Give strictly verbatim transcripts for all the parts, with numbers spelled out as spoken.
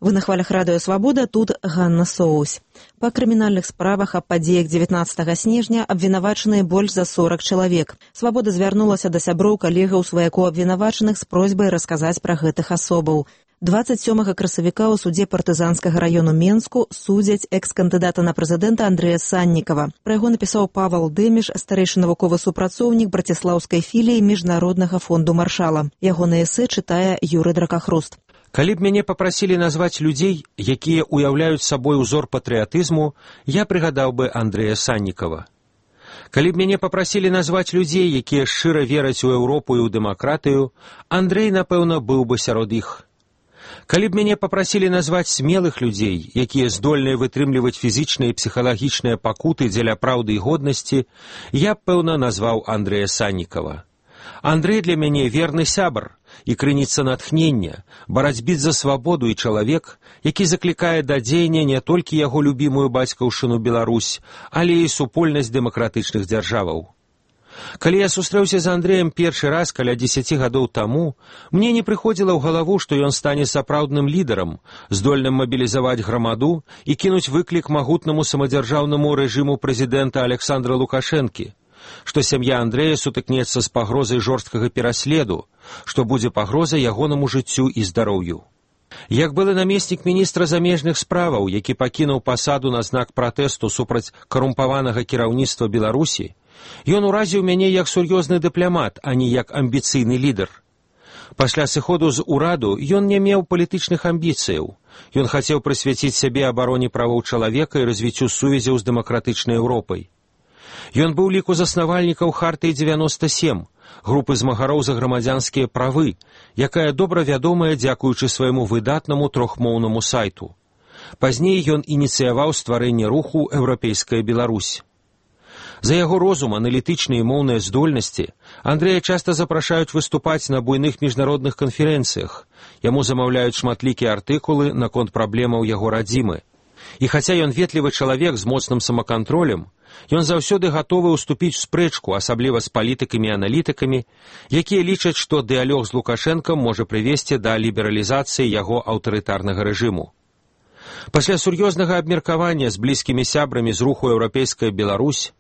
Вы на хвалях радыё «Свабода», тут Ганна Соусь. Па крымінальных справах аб падзеях дзевятнаццатага снежня абвінавачаныя больш за сорак чалавек. «Свабода» звярнулася да сяброў калегаў сваякоў абвінавачаных з просьбай расказаць пра гэтых асобаў. дваццаць сёмага красавіка ў судзе партызанскага раёну Менску судзяць экс-кандыдата на прэзідэнта Андрэя Саннікава. Пра яго напісаў Павал Дэміш, старэйшы навуковы супрацоўнік браціслаўскай філіі Міжнароднага фонду Маршала. Ягонае эсэ чытае Юрый Дракахруст. Калі б мяне папрасілі назваць людзей, якія ўяўляюць сабой узор патрыятызму, я прыгадаў бы Андрэя Саннікава. Калі б мяне папрасілі назваць людзей, якія шчыра вераць у Еўропу і ў дэмакратыю, Андрэй, напэўна, быў бы сярод іх. Калі б мяне папрасілі назваць смелых людзей, якія здольныя вытрымліваць фізічныя і псіхалагічныя пакуты дзеля праўды і годнасці, я б, пэўна, назваў Андрэя Саннікава. Андрэй для мяне верны сябар і крыніца натхнення, барацьбіт за свабоду і чалавек, які заклікае да дзеяння не толькі яго любімую бацькаўшчыну Беларусь, але і супольнасць дэмакратычных дзяржаваў. Калі я сустрэўся з Андрэем першы раз каля дзесяці гадоў таму, мне не прыходзіла ў галаву, што ён стане сапраўдным лідарам, здольным мабілізаваць грамаду і кінуць выклік магутнаму самадзяржаўнаму рэжыму прэзідэнта Александра Лукашэнкі, што сям'я Андрэя сутыкнецца з пагрозай жорсткага пераследу, што будзе пагроза ягонаму жыццю і здароўю. Як былы намеснік міністра замежных справаў, які пакінуў пасаду на знак пратэсту супраць карумпаванага кіраўніцтва Беларусі, ён уразіў мяне як сур'ёзны дыпламат, а не як амбіцыйны лідар. Пасля сыходу з ураду ён не меў палітычных амбіцыяў. Ён хацеў прысвяціць сябе абароне правоў чалавека і развіццю сувязяў з дэмакратычнай Еўропай. Ён быў ліку заснавальнікаў Хартыі дзевяноста сем, групы змагароў за грамадзянскія правы, якая добра вядомая дзякуючы свайму выдатнаму трохмоўнаму сайту. Пазней ён ініцыяваў стварэнне руху «Еўрапейская Беларусь». За яго розум, аналітычныя і моўныя здольнасці Андрэя часта запрашаюць выступаць на буйных міжнародных канферэнцыях. Яму замаўляюць шматлікія артыкулы наконт праблемаў яго радзімы. І хаця ён ветлівы чалавек з моцным самакантролем, ён заўсёды гатовы ўступіць у спрэчку, асабліва з палітыкамі і аналітыкамі, якія лічаць, што дыялог з Лукашэнкам можа прывесці да лібералізацыі яго аўтарытарнага рэжыму. Пасля сур'ёзнага абмеркавання з блізкімі сябрамі з руху «Еўрапейская Беларусь»,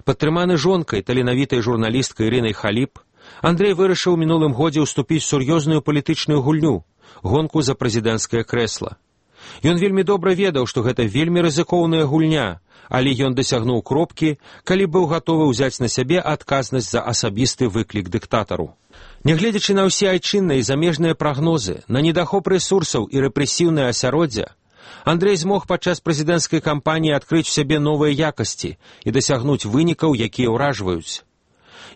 падтрыманы жонкай, таленавітай журналісткай Ірынай Халіп, Андрэй вырашыў у мінулым годзе ўступіць у сур'ёзную палітычную гульню, гонку за прэзідэнцкае крэсла. Ён вельмі добра ведаў, што гэта вельмі рызыкоўная гульня, але ён дасягнуў кропкі, калі быў гатовы ўзяць на сябе адказнасць за асабісты выклік дыктатару. Нягледзячы на ўсе айчынныя і замежныя прагнозы, на недахоп рэсурсаў і рэпрэсіўнае асяроддзя, Андрэй змог падчас прэзідэнцкай кампаніі адкрыць у сябе новыя якасці і дасягнуць вынікаў, якія ўражваюць.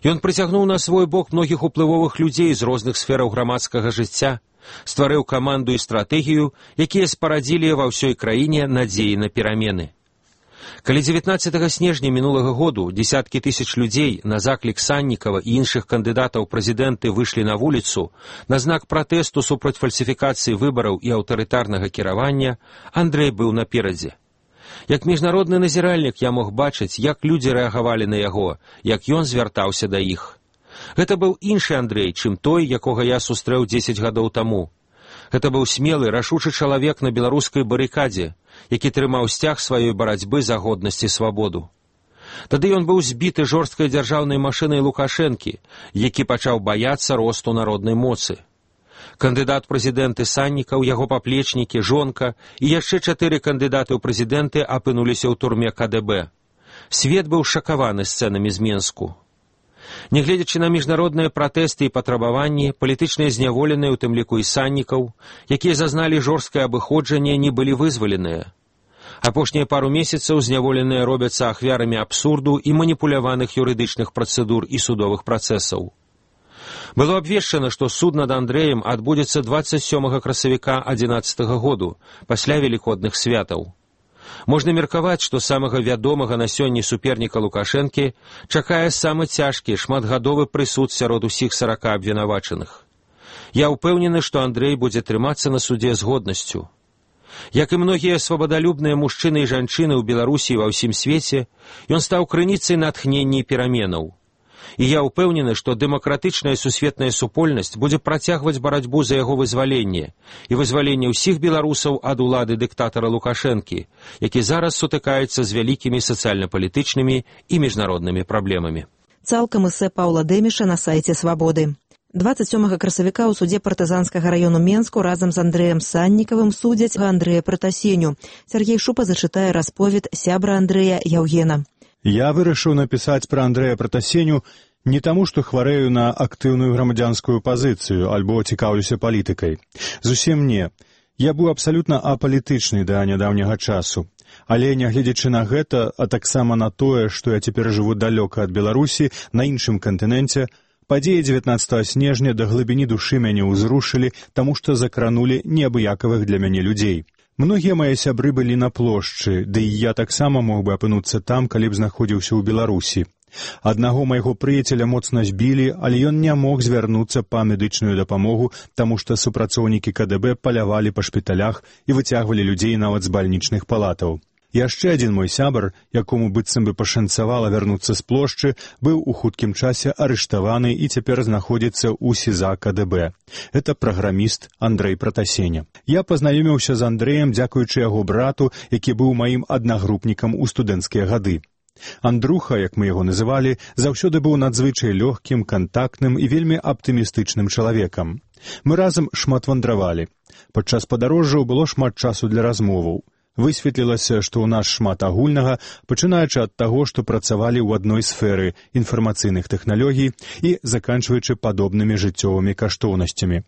Ён прыцягнуў на свой бок многіх уплывовых людзей з розных сфераў грамадскага жыцця, стварыў каманду і стратэгію, якія спарадзілі ва ўсёй краіне надзеі на перамены. Калі дзевятнаццатага снежня мінулага году дзесяткі тысяч людзей на заклік Саннікава і іншых кандыдатаў прэзідэнты выйшлі на вуліцу на знак пратэсту супраць фальсіфікацыі выбараў і аўтарытарнага кіравання, Андрэй быў наперадзе. Як міжнародны назіральнік я мог бачыць, як людзі рэагавалі на яго, як ён звяртаўся да іх. Гэта быў іншы Андрэй, чым той, якога я сустрэў дзесяць гадоў таму. Гэта быў смелы, рашучы чалавек на беларускай барыкадзе, які трымаў сцяг сваёй барацьбы за годнасць і свабоду. Тады ён быў збіты жорсткай дзяржаўнай машынай Лукашэнкі, які пачаў баяцца росту народнай моцы. Кандыдат прэзідэнты Саннікаў, яго паплечнікі, жонка і яшчэ чатыры кандыдаты ў прэзідэнты апынуліся ў турме ка дэ бэ. Свет быў шакаваны сцэнамі з Менску. Нягледзячы на міжнародныя пратэсты і патрабаванні, палітычныя зняволеныя, у тым ліку і Саннікаў, якія зазналі жорсткае абыходжанне, не былі вызваленыя. Апошнія пару месяцаў зняволеныя робяцца ахвярамі абсурду і маніпуляваных юрыдычных працэдур і судовых працэсаў. Было абвешчана, што суд над Андрэем адбудзецца дваццаць сёмага красавіка адзінаццатага году, пасля велікодных святаў. Можна меркаваць, што самага вядомага на сёння суперніка Лукашэнкі чакае самы цяжкі, шматгадовы прысуд сярод усіх сарака абвінавачаных. Я ўпэўнены, што Андрэй будзе трымацца на судзе з годнасцю. Як і многія свабадалюбныя мужчыны і жанчыны ў Беларусі і ва ўсім свеце, ён стаў крыніцай натхнення і пераменаў. І я ўпэўнены, што дэмакратычная сусветная супольнасць будзе працягваць барацьбу за яго вызваленне і вызваленне ўсіх беларусаў ад улады дыктатара Лукашэнкі, які зараз сутыкаецца з вялікімі сацыяльна-палітычнымі і міжнароднымі праблемамі. Цалкам эсэ Паўла Дэміша на сайце «Свабоды». дваццаць сёмага красавіка ў судзе партызанскага раёну Менску разам з Андрэем Саннікавым судзяць Андрэя Пратасеню. Сергей Шупа зачытае расповед сябра Андрэя Яўгена. Я вырашыў напісаць пра Андрэя Пратасеню не таму, што хварэю на актыўную грамадзянскую пазіцыю альбо цікаўлюся палітыкай. Зусім не. Я быў абсалютна апалітычны да нядаўняга часу. Але, нягледзячы на гэта, а таксама на тое, што я цяпер жыву далёка ад Беларусі, на іншым кантыненце, падзеі дзевятнаццатага снежня да глыбіні душы мяне ўзрушылі, таму што закранулі неабыякавых для мяне людзей. Многія мае сябры былі на плошчы, ды і я таксама мог бы апынуцца там, калі б знаходзіўся ў Беларусі. Аднаго майго прыяцеля моцна збілі, але ён не мог звярнуцца па медычную дапамогу, таму што супрацоўнікі ка дэ бэ палявалі па шпіталях і выцягвалі людзей нават з бальнічных палатаў. Яшчэ адзін мой сябар, якому быццам бы пашанцавала вярнуцца з плошчы, быў у хуткім часе арыштаваны і цяпер знаходзіцца ў СІЗА ка дэ бэ. Это праграміст Андрэй Пратасеня. Я пазнаёміўся з Андрэем дзякуючы яго брату, які быў маім аднагрупнікам у студэнцкія гады. Андруха, як мы яго называлі, заўсёды быў надзвычай лёгкім, кантактным і вельмі аптымістычным чалавекам. Мы разам шмат вандравалі. Падчас падарожжаў было шмат часу для размоваў. Высветлілася, што ў нас шмат агульнага, пачынаючы ад таго, што працавалі ў адной сферы інфармацыйных тэхналогій і заканчваючы падобнымі жыццёвымі каштоўнасцямі.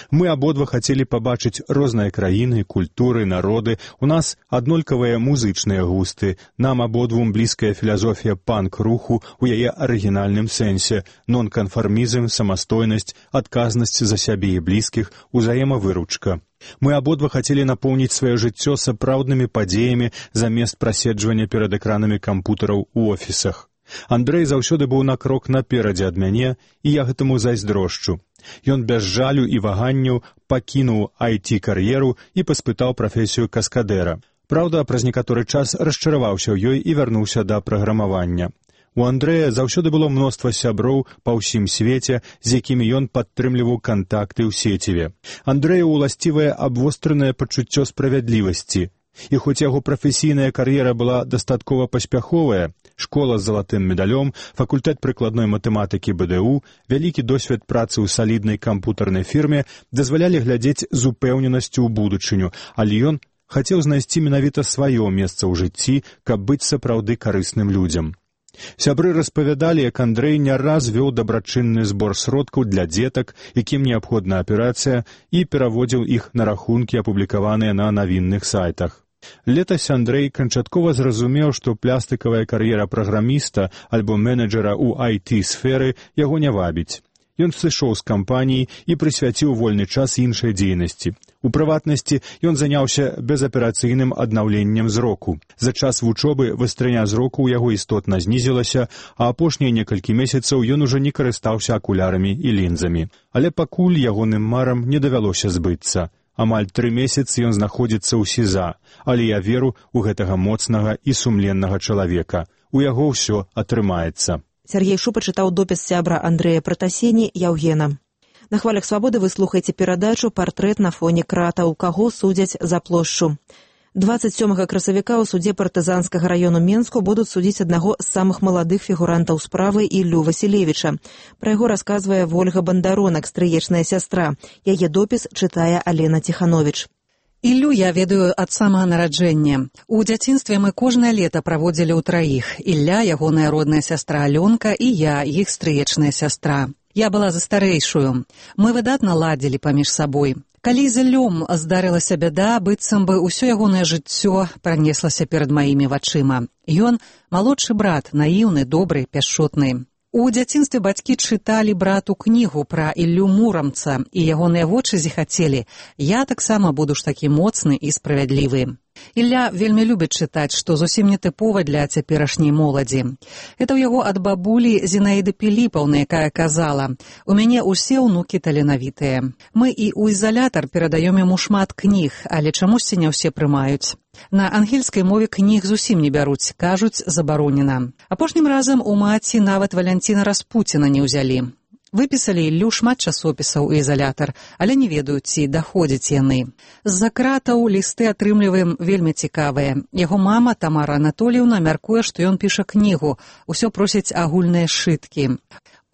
Мы абодва хацелі пабачыць розныя краіны, культуры, народы. У нас аднолькавыя музычныя густы. Нам абодвум блізкая філасофія панк-руху ў яе арыгінальным сэнсе, нонканфармізм, самастойнасць, адказнасць за сябе і блізкіх, узаемавыручка. Мы абодва хацелі напоўніць сваё жыццё сапраўднымі падзеямі замест праседжвання перад экранамі кампутараў у офісах. Андрэй заўсёды быў на крок наперадзе ад мяне, і я гэтаму зайздрошчу. Ён без жалю і ваганняў пакінуў ай ти-кар'еру і паспытаў прафесію каскадэра. Праўда, праз некаторы час расчараваўся ў ёй і вярнуўся да праграмавання. У Андрэя заўсёды было мноства сяброў па ўсім свеце, з якімі ён падтрымліваў кантакты ў сеціве. Андрэю уласцівае абвостранае пачуццё справядлівасці. І хоць яго прафесійная кар'ера была дастаткова паспяховая, школа з залатым медалём, факультэт прыкладной матэматыкі бэ дэ у, вялікі досвед працы ў саліднай кампутарнай фірме дазвалялі глядзець з упэўненасцю ў будучыню, але ён хацеў знайсці менавіта сваё месца ў жыцці, каб быць сапраўды карысным людзям. Сябры распавядалі, як Андрэй не раз вёў дабрачынны збор сродкаў для дзетак, якім неабходна аперацыя, і пераводзіў іх на рахункі, апублікаваныя на навінных сайтах. Летась Андрэй канчаткова зразумеў, што плястыкавая кар'ера праграміста альбо менеджера ў ай ти-сферы яго не вабіць. Ён сышоў з кампаніі і прысвяціў вольны час іншай дзейнасці. У прыватнасці ён заняўся безаперацыйным аднаўленнем зроку. За час вучобы вастрыня зроку ў яго істотна знізілася, а апошнія некалькі месяцаў ён ужо не карыстаўся акулярамі і лінзамі. Але пакуль ягоным марам не давялося збыцца. Амаль тры месяцы ён знаходзіцца ў СІЗА, але я веру ў гэтага моцнага і сумленнага чалавека. У яго ўсё атрымаецца. Сергей Шупа чытаў допіс сябра Андрэя Пратасені Яўгена. На хвалях свабоды вы слухаеце перадачу «Партрэт на фоне кратаў», каго судзяць за плошчу. дваццаць сёмага красавіка ў судзе партызанскага раёну Менску будуць судзіць аднаго з самых маладых фігурантаў справы Іллю Васілевіча. Пра яго расказвае Вольга Бандаронак, стрыечная сястра. Яе допіс чытае Алена Ціхановіч. Іллю я ведаю ад самага нараджэння. У дзяцінстве мы кожнае лета праводзілі ў траіх. Ілля, ягоная родная сястра Алёнка, і я, іх стрыечная сястра. Я была за старэйшую. Мы выдатна ладзілі паміж сабой. Калі з Іллём здарылася бяда, быццам бы ўсё ягонае жыццё пранеслася перад маімі вачыма. Ён малодшы брат, наіўны, добры, пяшчотны. У дзяцінстве бацькі чыталі брату кнігу пра Іллю Мурамца, і ягоныя вочы зіхацелі: «Я таксама буду ж такі моцны і справядлівы». Ілля вельмі любіць чытаць, што зусім не тыпова для цяперашняй моладзі. Это ў яго ад бабулі Зінаіды Піліпаўны, якая казала: «У мяне ўсе ўнукі таленавітыя. Мы і ў ізалятар перадаём яму шмат кніг, але чамусьці не ўсе прымаюць. На ангельскай мове кніг зусім не бяруць, кажуць, забаронена. Апошнім разам у маці нават Валянціна Распуціна не ўзялі. Выпісалі Іллю шмат часопісаў у ізалятар, але не ведаюць, ці даходзяць яны. З-за кратаў лісты атрымліваем вельмі цікавыя. Яго мама, Тамара Анатоліўна, мяркуе, што ён піша кнігу, усё просіць агульныя сшыткі.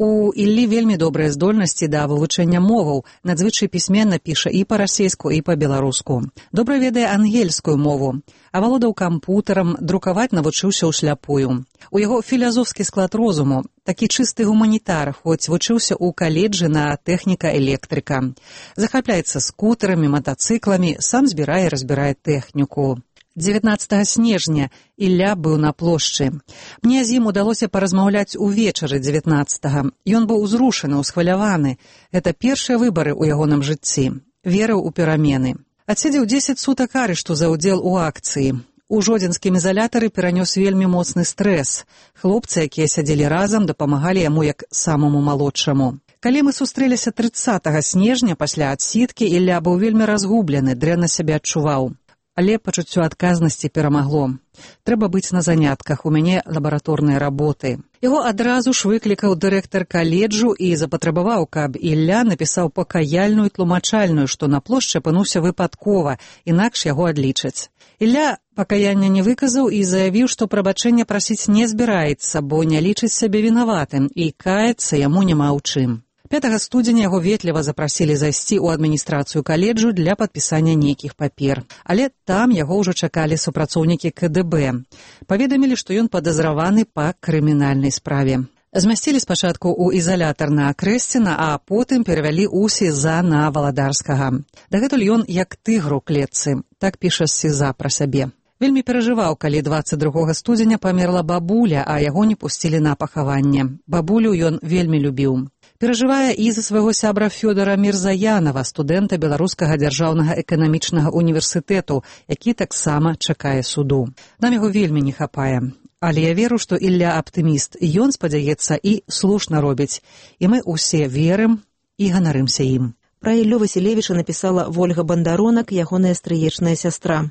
У Іллі вельмі добрыя здольнасці да вывучэння моваў, надзвычай пісьменна піша і па-расейску, і па-беларуску. Добра ведае ангельскую мову, авалодаў кампутарам, друкаваць навучыўся ўсляпую. У яго філазофскі склад розуму, такі чысты гуманітар, хоць вучыўся ў каледжы на тэхніка-электрыка. Захапляецца скутарамі, матацыкламі, сам збірае і разбірае тэхніку. дзевятнаццатага снежня Ілля быў на плошчы. Мне з ім удалося паразмаўляць увечары дзевятнаццатага. Ён быў узрушаны, усхваляваны. Гэта першыя выбары ў ягоным жыцці. Верыў у перамены. Адседзеў дзесяць сутак арышту за ўдзел у акцыі. У жодзінскім ізалятары перанёс вельмі моцны стрэс. Хлопцы, якія сядзелі разам, дапамагалі яму як самому малодшаму. Калі мы сустрэліся трыццатага снежня пасля адсідкі, Ілля быў вельмі разгублены, дрэнна сябе адчуваў. Але пачуццё адказнасці перамагло. Трэба быць на занятках, у мяне лабараторныя работы. Яго адразу ж выклікаў дырэктар каледжу і запатрабаваў, каб Ілля напісаў пакаяльную і тлумачальную, што на плошчы апынуўся выпадкова, інакш яго адлічаць. Ілля пакаяння не выказаў і заявіў, што прабачэння прасіць не збіраецца, бо не лічыць сябе вінаватым, і каяцца яму няма ў чым. пятага студзеня яго ветліва запрасілі зайсці ў адміністрацыю каледжу для падпісання нейкіх папер. Але там яго ўжо чакалі супрацоўнікі ка дэ бэ. Паведамілі, што ён падазраваны па крымінальнай справе. Змясцілі спачатку ў ізалятар на Крэсціна, а потым перавялі ў СІЗА на Валадарскага. Дагэтуль ён як тыгр у клетцы, так піша СІЗА пра сябе. Вельмі перажываў, калі дваццаць другога студзеня памерла бабуля, а яго не пусцілі на пахаванне. Бабулю ён вельмі любіў. Перажывае і за свайго сябра Фёдора Мірзаянава, студэнта Беларускага дзяржаўнага эканамічнага універсітэту, які таксама чакае суду. Нам яго вельмі не хапае. Але я веру, што Ілля аптыміст, і ён спадзяецца і слушна робіць. І мы ўсе верым і ганарымся ім. Пра Іллю Васілевіча напісала Вольга Бандаронак, ягоная стрыечная сястра.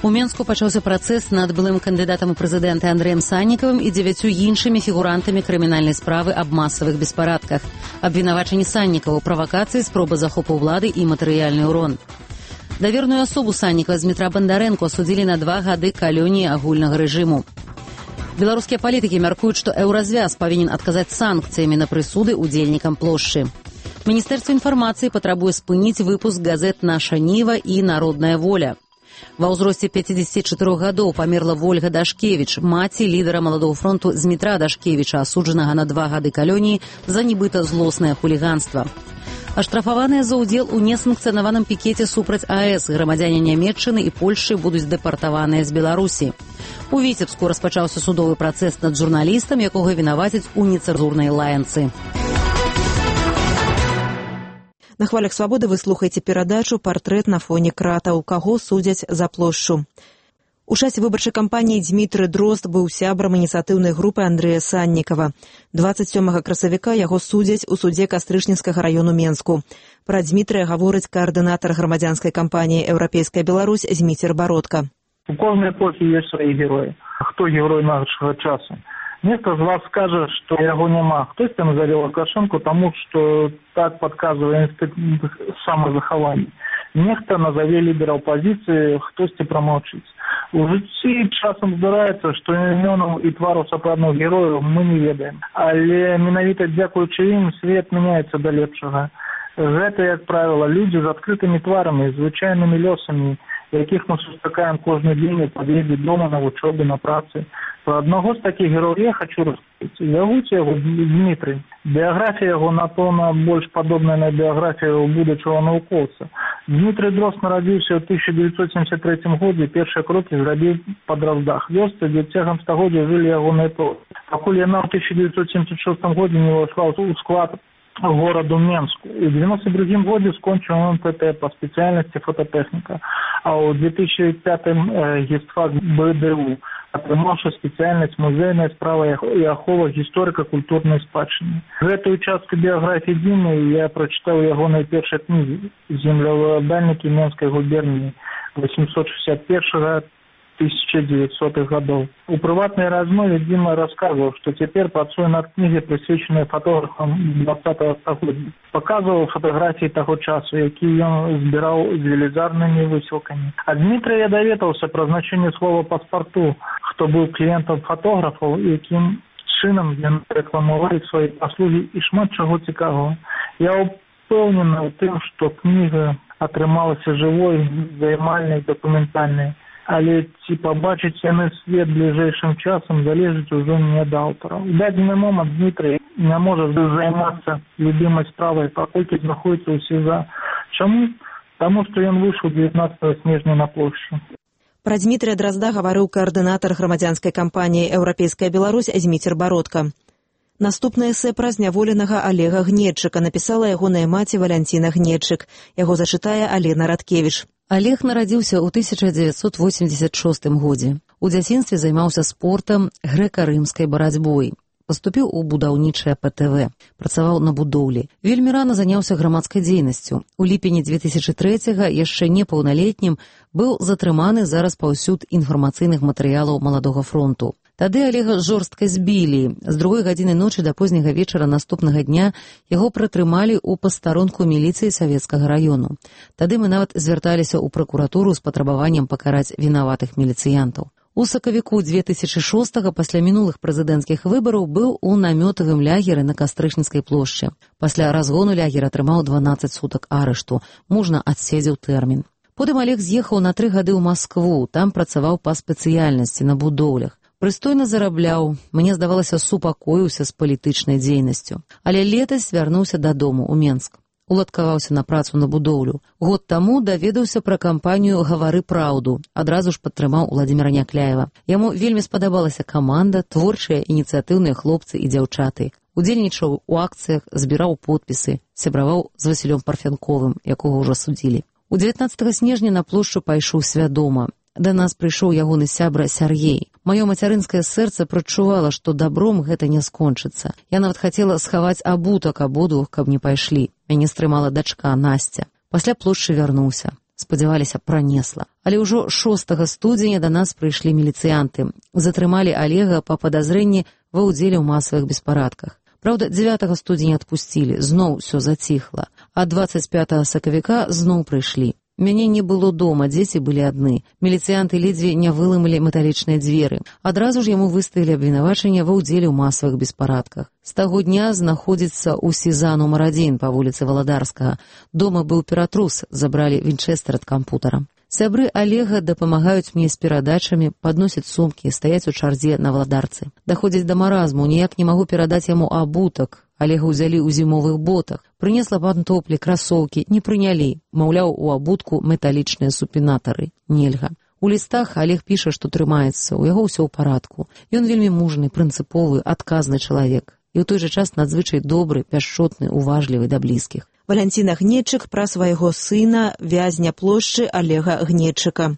У Менску пачаўся працэс над былым кандыдатам у прэзідэнты Андрэем Саннікавым і дзевяцю іншымі фігурантамі крымінальнай справы аб масавых беспарадках. Абвінавачанні Саннікава ў правакацыі, спробы захопу ўлады і матэрыяльны ўрон. Даверную асобу Саннікава Змітра Бандарэнку асудзілі на два гады калоніі агульнага рэжыму. Беларускія палітыкі мяркуюць, што еўразвяз павінен адказаць санкцыямі на прысуды удзельнікам плошчы. Міністэрства інфармацыі патрабуе спыніць выпуск газет «Наша Ніва» і «Народная воля». Ва ўзросце пяцідзесяці чатырох гадоў памерла Вольга Дашкевіч, маці лідара маладого фронту Змітра Дашкевіча, асуджанага на два гады калоніі за нібыта злоснае хуліганства. Аштрафаваныя за ўдзел у несанкцыянаваным пікеце супраць АЭС грамадзяне Нямецчыны і Польшчы будуць дэпартаваныя з Беларусі. У Віцебску распачаўся судовы працэс над журналістам, якога вінавацяць у нецэнзурнай лаянцы. На хвалях свабоды вы слухаеце перадачу «Партрэт на фоне кратаў», каго судзяць за плошчу. У часе выбарчай кампаніі Дзмітрый Дрозд быў сябрам ініцыятыўнай групы Андрэя Саннікава. дваццаць сёмага красавіка яго судзяць у судзе Кастрычніцкага раёну Менску. Пра Дзмітрыя гаворыць каардынатар грамадзянскай кампаніі «Еўрапейская Беларусь» Зміцер Бародка. У кожнай эпохі ёсць свае героі. Хто герой нашага часу? Нехто з вас скажа, што яго няма. Хтосьці назаве Лукашэнку, таму што так падказвае інстытут самазахавання. Нехта назаве лідара апазіцыі, хтосьці прамаўчыць. У жыцці часам здараецца, што імёнаў і твараў сапраўдных герояў мы не ведаем. Але менавіта дзякуючы ім свет мяняецца да лепшага. Гэта, як правіла, людзі з адкрытымі тварамі, звычайнымі лёсамі, якіх мы сустракаем кожны дзень у пад'ездзе дома, на вучобе, на працы. Про аднаго з такіх герояў я хочу расказаць. Зовуць яго Дмітрый. Біяграфія яго, напэўна, больш падобная на біяграфію будучага навукоўца. Дмітрый Дрозд нарадзіўся ў тысяча дзевяцьсот семьдесят третьем годзе, першыя крокі зрабіў па Дроздах, вёсцы, дзе цягам стагоддзя жылі ягоныя продкі. Пакуль яна ў тысяча дзевяцьсот семьдесят шостым годзе не ўвайшла ў склад городу Менску. У девяносто другом году скончил эн тэ тэ по специальности фототехника, а у две тысячи пятом гістфак бэ дэ у, атрымаўшы спецыяльнасць музейная справа і ахова гісторыка-культурнай спадчыны. Гэтую частку біяграфіі Дімы я прачытаў яго найпершай кнігі «Землеўладальнікі Менскай губерніі» восемьсот шестьдесят первого — тысяча девятисотых годов. У прыватнай размове Дима рассказывал, что теперь працуе над книгой, присвяченной фотографам двадцатого стагоддзя. Показывал фотографии того часу, якія ён збіраў з велізарнымі высілкамі. А Дмитрий я даведаўся пра значэнне слова паспарту, хто быў кліентам фотографаў, якім чынам яны рэкламавалі свае паслугі і шмат чаго цікавого. Я упэўнены ў тым, што кніга атрымалася жывой, займальнай, дакументальнай. Але ці пабачыць яны свет бліжэйшым часам залежыць ужо не ад аўтара. У дадзены момант Дмітрый не можа займацца любімай справай, паколькі знаходзіцца ў СІЗА. Чаму? Таму што ён выйшаў дзевятнаццатага снежня на плошчу. Пра Дмітрия Дразда гаварыў каардынатар грамадзянскай кампаніі «Еўрапейская Беларусь» Зміцер Бародка. Наступнае эсэ пра зняволенага Олега Гнедчыка напісала ягоная маці Валянціна Гнедчык. Яго зачытае Алена Радкевіч. Олег нарадзіўся ў тысяча дзевяцьсот восемьдесят шостым годзе. У дзяцінстве займаўся спортам, грэка-рымскай барацьбой. Паступіў у будаўнічае пэ тэ вэ. Працаваў на будоўлі. Вельмі рана заняўся грамадскай дзейнасцю. У ліпені две тысячи трэцяга, яшчэ непаўналетнім, быў затрыманы за распаўсюд інфармацыйных матэрыялаў Маладога фронту. Тады Олега жорстка збілі. З другой гадзіны ночы да позняга вечара наступнага дня яго прытрымалі ў пастарунку міліцыі Савецкага раёну. Тады мы нават звярталіся ў пракуратуру з патрабаваннем пакараць вінаватых міліцыянтаў. У сакавіку две тысячи шостага пасля мінулых прэзідэнцкіх выбараў быў у намётавым лягеры на Кастрычніцкай плошчы. Пасля разгону лягер атрымаў дванаццаць сутак арышту. Мужна адседзеў тэрмін. Потым Олег з'ехаў на тры гады ў Маскву. Там працаваў па спецыяльнасці на будоўлях. Прыстойна зарабляў, мне здавалася, супакоіўся з палітычнай дзейнасцю. Але летась вярнуўся дадому ў Менск. Уладкаваўся на працу на будоўлю. Год таму даведаўся пра кампанію «Гавары праўду». Адразу ж падтрымаў Уладзіміра Някляева. Яму вельмі спадабалася каманда, творчыя, ініцыятыўныя хлопцы і дзяўчаты. Удзельнічаў у акцыях, збіраў подпісы, сябраваў з Васілём Парфянковым, якога ўжо судзілі. У дзевятнаццатага снежня на плошчу пайшоў свядома. Да нас прыйшоў ягоны сябра Сяргей. Маё мацярынскае сэрца прачувала, што добром гэта не скончыцца. Я нават хацела схаваць абутак абодвух, каб не пайшлі. Мяне стрымала дачка Насця. Пасля плошчы вярнуўся. Спадзяваліся, пранесла. Але ўжо шостага студзеня да нас прыйшлі міліцыянты. Затрымалі Олега па падазрэнні ва ўдзеле ў масавых беспарадках. Праўда, дзевятага студзеня адпусцілі, зноў усё заціхла. А дваццаць пятага сакавіка зноў прыйшлі. Мяне не было дома, дзеці былі адны. Міліцыянты ледзьве не вылымалі металічныя дзверы. Адразу ж яму выставілі абвінавачанне ва ўдзеле ў масавых беспарадках. З таго дня знаходзіцца ў СІЗА нумар адзін па вуліцы Валадарскага. Дома быў ператрус, забралі вінчэстэр ад кампутара. Сябры Олега дапамагаюць мне з перадачамі, падносяць сумкі, стаяць у чардзе на Валадарцы. Даходзіць да маразму, ніяк не магу перадаць яму абутак. Олега ўзялі ў зімовых ботах. Прынесла пантоплі, красоўкі, не прынялі. Маўляў, у абутку металічныя супінатары. Нельга. У лістах Олег піша, што трымаецца, у яго ўсё ў парадку. Ён вельмі мужны, прынцыповы, адказны чалавек. І ў той жа час надзвычай добры, пяшчотны, уважлівы да блізкіх. Валянціна Гнедчык пра свайго сына, вязня плошчы Олега Гнедчыка.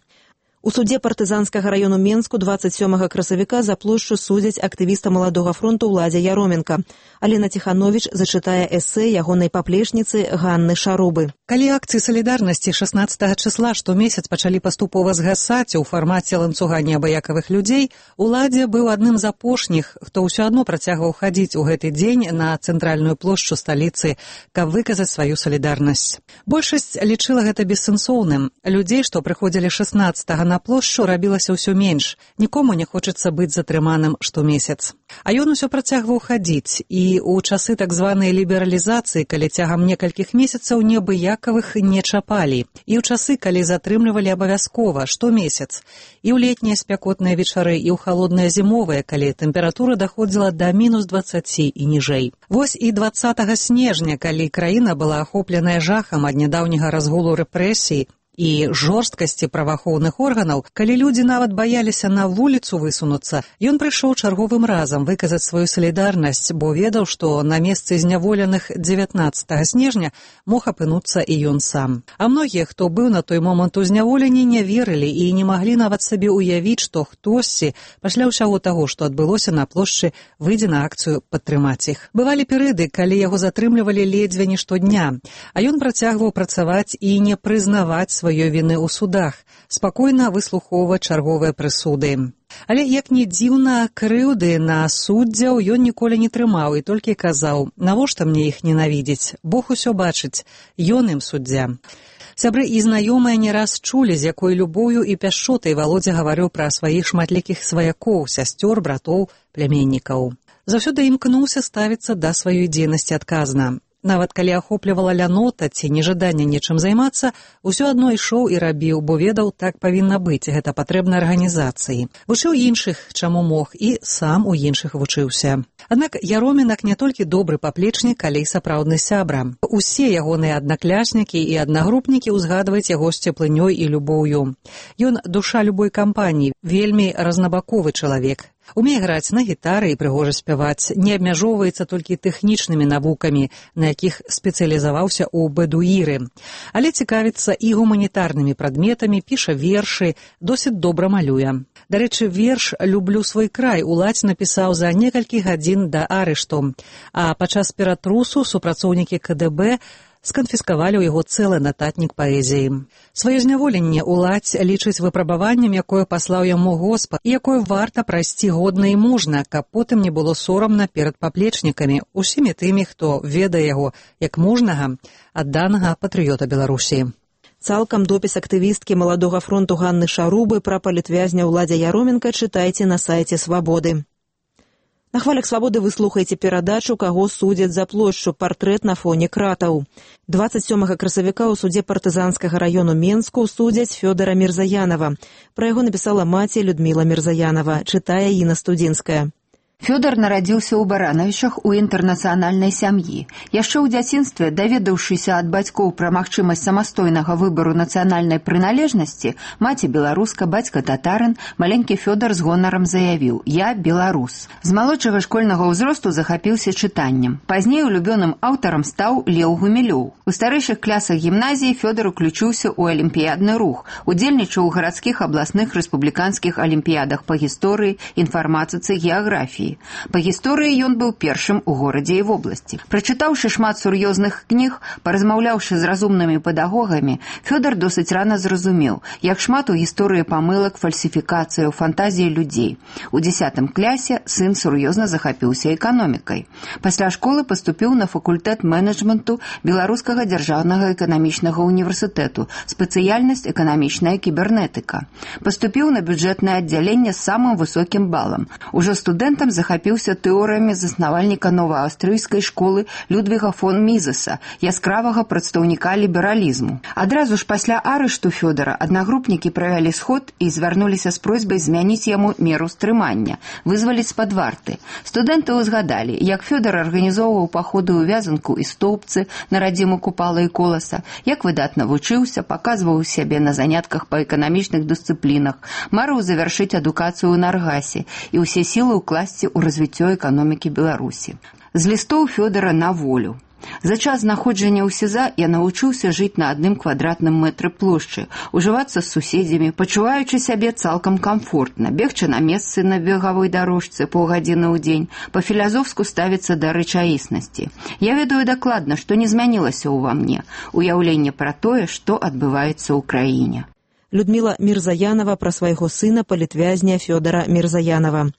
У судзе партызанскага раёну Менску дваццаць сёмага красавіка за плошчу судзяць актывіста Маладога фронту Уладзя Яроменка. Алена Ціхановіч зачытае эсэ ягонай паплечніцы Ганны Шарубы. Калі акцыі салідарнасці шаснаццатага чысла штомесяц пачалі паступова згасаць у фармаце ланцуга неабыякавых людзей, Уладзя быў адным з апошніх, хто ўсё адно працягваў хадзіць у гэты дзень на цэнтральную плошчу сталіцы, каб выказаць сваю салідарнасць. Большасць лічыла гэта бессэнсоўным. Людзей, што прыходзілі шаснаццатага на плошчу, рабілася ўсё менш. Нікому не хочацца быць затрыманым штомесяц. А ён усё працягваў хадзіць, і ў часы так званай лібералізацыі, калі цягам некалькіх месяцаў неабыякавых не чапалі, і ў часы, калі затрымлівалі абавязкова штомесяц, і ў летнія спякотныя вечары, і ў халодныя зімовыя, калі тэмпература даходзіла да мінус дваццаці і ніжэй. Вось і дваццатага снежня, калі краіна была ахопленая жахам ад нядаўняга разгулу рэпрэсій, і жорсткасці праваахоўных органаў, калі людзі нават баяліся на вуліцу высунуцца, ён прыйшоў чарговым разам выказаць сваю салідарнасць, бо ведаў, што на месцы зняволеных дзевятнаццатага снежня мог апынуцца і ён сам. А многія, хто быў на той момант у зняволенні, не верылі і не маглі нават сабе ўявіць, што хтосьці пасля ўсяго таго, што адбылося на плошчы, выйдзе на акцыю падтрымаць іх. Бывалі перыяды, калі яго затрымлівалі ледзьве не штодня, а ён працягваў працаваць і не прызнаваць сваёй віны ў судах, спакойна выслухоўваць чарговыя прысуды. Але, як ні дзіўна, крыўды на суддзяў ён ніколі не трымаў і толькі казаў: «Навошта мне іх ненавідзець? Бог усё бачыць, ён ім суддзя». Сябры і знаёмыя не раз чулі, з якой любоўю і пяшчотай Валодзя гаварыў пра сваіх шматлікіх сваякоў, сясцёр, братоў, пляменнікаў. Заўсёды імкнуўся ставіцца да сваёй дзейнасці адказна. Нават калі ахоплівала лянота ці нежаданне нечым займацца, усё адно ішоў і рабіў, бо ведаў, так павінна быць, гэта патрэбна арганізацыі. Вучыў іншых, чаму мог, і сам у іншых вучыўся. Аднак Яромінак не толькі добры паплечнік, але і сапраўдны сябра. Усе ягоныя аднакляснікі і аднагрупнікі ўзгадваюць яго з цеплынёй і любоўю. Ён душа любой кампаніі, вельмі разнабаковы чалавек. Умее граць на гітары і прыгожа спяваць, не абмяжоўваецца толькі тэхнічнымі навукамі, на якіх спецыялізаваўся ў бэдуіры, але цікавіцца і гуманітарнымі прадметамі, піша вершы, досыць добра малюе. Дарэчы, верш «Люблю свой край» уладзь напісаў за некалькі гадзін да арышту, а падчас ператрусу супрацоўнікі ка дэ бэ сканфіскавалі ў яго цэлы нататнік паэзіі. Сваё зняволенне уладзь лічыць выпрабаваннем, якое паслаў яму Господ, і якое варта прайсці годна і мужна, каб потым не было сорамна перад паплечнікамі, усімі тымі, хто ведае яго як мужнага, адданага патрыёта Беларусі. Цалкам допіс актывісткі Маладога фронту Ганны Шарубы пра палітвязня Уладзя Яроменка чытайце на сайце «Свабоды». На хвалях «Свабоды» вы слухаеце перадачу «Каго судзяць за плошчу. Партрэт на фоне кратаў». дваццаць сёмага красавіка ў судзе партызанскага раёну Менску судзяць Фёдара Мірзаянова. Пра яго напісала маці Людміла Мірзаянова, чытае Інна Студзінская. Фёдор нарадзіўся ў Баранавічах у інтэрнацыянальнай сям'і. Яшчэ ў дзяцінстве, даведаўшыся ад бацькоў пра магчымасць самастойнага выбару нацыянальнай прыналежнасці, маці беларуска, бацька татарын, маленькі Фёдор з гонарам заявіў: «Я беларус». З малодшага школьнага ўзросту захапіўся чытаннем. Пазней улюбёным аўтарам стаў Леў Гумілёў. У старэйшых класах гімназіі Фёдор уключыўся ў алімпіядны рух, удзельнічаў у гарадскіх, абласных, рэспубліканскіх алімпіядах па гісторыі, інфарматыцы, геаграфіі. Па гісторыі ён быў першым у горадзе і вобласці. Прачытаўшы шмат сур'ёзных кніг, паразмаўляўшы з разумнымі педагогамі, Фёдор досыць рана зразумеў, як шмат у гісторыі памылак, фальсіфікацыяў, фантазіі людзей. У дзесятым клясе сын сур'ёзна захапіўся эканомікай. Пасля школы паступіў на факультэт менеджменту Беларускага дзяржаўнага эканамічнага універсітэту, спецыяльнасць эканамічная кібернетыка. Паступіў на бюджэтнае аддзяленне з самым высокім балам. Ужо студэнтам захапіўся тэорыямі заснавальніка новааўстрыйскай школы Людвіга фон Мізеса, яскравага прадстаўніка лібералізму. Адразу ж пасля арышту Фёдора аднагрупнікі правялі сход і звярнуліся з просьбай змяніць яму меру стрымання, вызваліць з-пад варты. Студэнты ўзгадалі, як Фёдор арганізоўваў паходы ў Вязанку і Стоўбцы на радзіму Купала і Коласа, як выдатна вучыўся, паказваў сябе на занятках па эканамічных дысцыплінах, марыў завяршыць адукацыю ў Наргасе і ўсе сілы ўкласці у развіццё эканомікі Беларусі. З лістоў Фёдора на волю. За час знаходжання ў СІЗА я навучыўся жыць на адным квадратным мэтры плошчы, ужывацца з суседзямі, пачуваючы сябе цалкам камфортна, бегчы на месцы на бегавой дарожцы паўгадзіны ў дзень, па-філазофску ставіцца да рэчаіснасці. Я ведаю дакладна, што не змянілася ўва мне, уяўленне пра тое, што адбываецца ў краіне. Людміла Мірзаянова пра свайго сына палітвязня Фёдара Мірзаянова.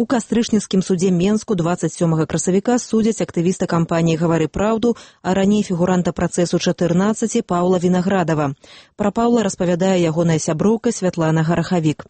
У кастрычніцкім судзе Менску дваццаць сёмага красавіка судзяць актывіста кампаніі «Гавары праўду», а раней фігуранта працэсу чатырнаццаці Паўла Вінаградава. Пра Паўла распавядае ягоная сяброўка Святлана Гарахавік.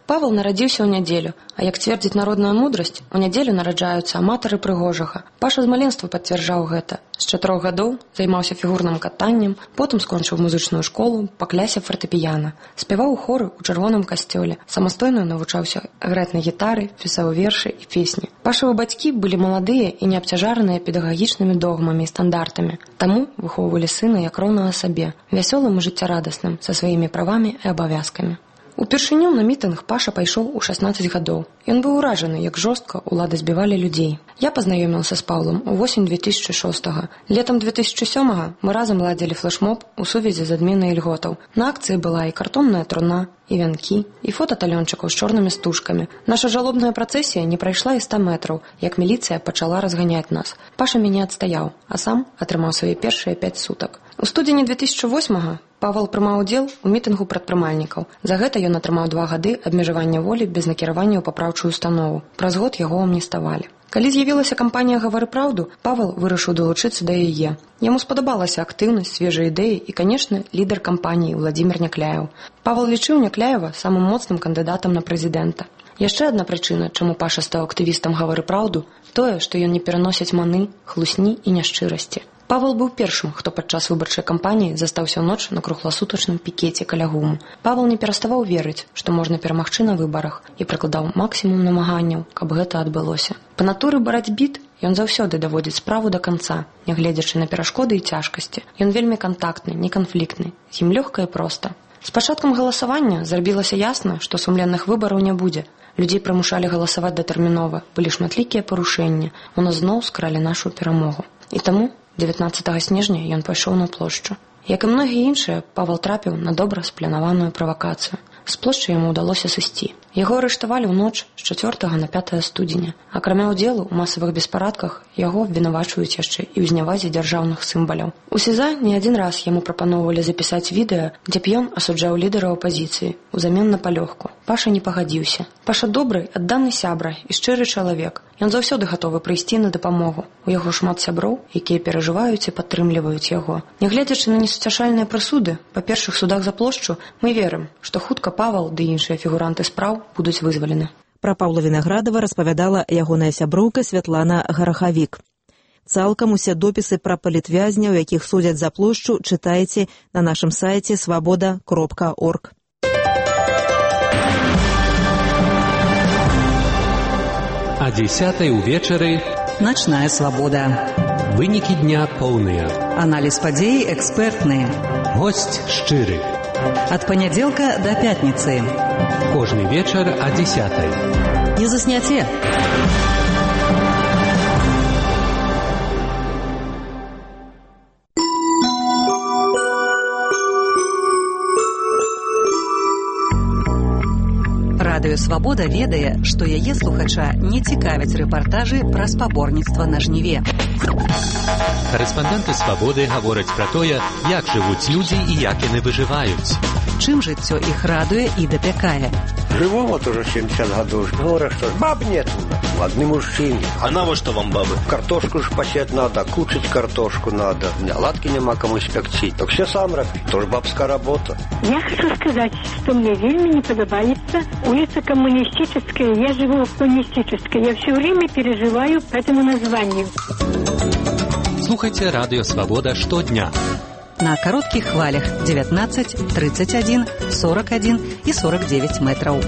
Павел нарадзіўся ў нядзелю, а як цвердзіць народная мудрасць, у нядзелю нараджаюцца аматары прыгожага. Паша з маленства пацвярджаў гэта. З чатырох гадоў займаўся фігурным катаннем, потым скончыў музычную школу па клясе фартэпіяна. Спяваў у хоры ў чырвоным касцёле, самастойна навучаўся граць на гітары, пісаў вершы і песні. Пашавы бацькі былі маладыя і не абцяжараныя педагагічнымі догмамі і стандартамі, таму выхоўвалі сына як роўнага сабе, вясёлым і жыццярадасным, са сваімі правамі і абавязкамі. Упершыню на мітынг Паша пайшоў у шаснаццаць гадоў. Ён быў уражаны, як жорстка ўлады збівалі людзей. Я пазнаёміўся з Паўлам у восень две тысячы шостага. Летам две тысячы сёмага мы разам ладзілі флэшмоб у сувязі з адменай ільготаў. На акцыі была і картонная труна, і вянкі, і фота талёнчыкаў з чорнымі стужкамі. Наша жалобная працэсія не прайшла і ста метраў, як міліцыя пачала разганяць нас. Паша мяне адстаяў, а сам атрымаў свае першыя пяць сутак. У студзені две тысячы восьмага Павел прымаў удзел у мітынгу прадпрымальнікаў. За гэта ён атрымаў два гады абмежавання волі без накіравання ў папраўчую установу. Праз год яго амніставалі. Калі з'явілася кампанія «Гавары праўду», Павел вырашыў далучыцца да яе. Яму спадабалася актыўнасць, свежыя ідэі і, канешне, лідар кампаніі Владзімір Някляеў. Павел лічыў Някляева самым моцным кандыдатам на прэзідэнта. Яшчэ адна прычына, чаму Паша стаў актывістам «Гавары праўду», тое, што ён не пераносіць маны, хлусні і няшчырасці. Павел быў першым, хто падчас выбарчай кампаніі застаўся ў ноч на кругласутачным пікеце каля гуму. Павел не пераставаў верыць, што можна перамагчы на выбарах, і прыкладаў максімум намаганняў, каб гэта адбылося. Па натуры барацьбіт ён заўсёды даводзіць справу да канца, нягледзячы на перашкоды і цяжкасці. Ён вельмі кантактны, неканфліктны, з ім лёгка і проста. З пачаткам галасавання зрабілася ясна, што сумленных выбараў не будзе. Людзей прымушалі галасаваць датэрмінова, былі шматлікія парушэнні, у нас зноў скралі нашу перамогу. І таму дзевятнаццатага снежня ён пайшоў на плошчу. Як і многія іншыя, Павел трапіў на добра спланаваную правакацыю. З плошчы яму ўдалося сысці. Яго арыштавалі ў ноч з чацвёртага на пятае студзеня. Акрамя ўдзелу ў масавых беспарадках, яго абвінавачваюць яшчэ і ў зняwaзе дзяржаўных сімваляў. У СІЗА не адзін раз яму прапаноўвалі запісаць відэа, дзе б ён асуджаў лідара апазіцыі узамен на палёгку. Паша не пагадзіўся. Паша добры, адданы сябра і шчыры чалавек. Ён заўсёды гатовы прыйсці на дапамогу. У яго шмат сяброў, якія перажываюць і падтрымліваюць яго. Нягледзячы на несуцяшальныя прысуды, па першых судах за плошчу, мы верым, што хутка Павел ды іншыя фігуранты спраў будуць вызвалены. Пра Паўла Вінаградава распавядала ягоная сяброўка Святлана Гарахавік. Цалкам усе допісы пра палітвязняў, якіх судзяць за плошчу, чытайце на нашым сайце свабода кропка орг. А дзесятай увечары Начная свабода. Вынікі дня поўныя. Аналіз падзей экспертны. Госць шчыры. Ад панядзелка да пятніцы. Кожны вечар а дзесятай. Не засняце. Радыё «Свабода» ведае, што яе слухача не цікавяць рэпартажы пра спаборніцтва на жніве. Карэспандэнты «Свабоды» гавораць пра тое, як жывуць людзі і як яны выжываюць. Чым жыццё іх радуе і дапякае. Живу вот уже семьдесят годов. Говорят, что баб нет. Одни мужчины. А навошта вам бабы? Картошку ж посеять надо, кушать картошку надо. Оладки нема кому испекти. Так все сам робить. Тоже бабская работа. Я хочу сказать, что мне вельми не подобается улица Коммунистическая. Я живу в Коммунистической. Я все время переживаю по этому названию. Слухайте радио «Свобода» штодня. На кароткіх хвалях девятнадцать, тридцать один, сорок один и сорок девять метров.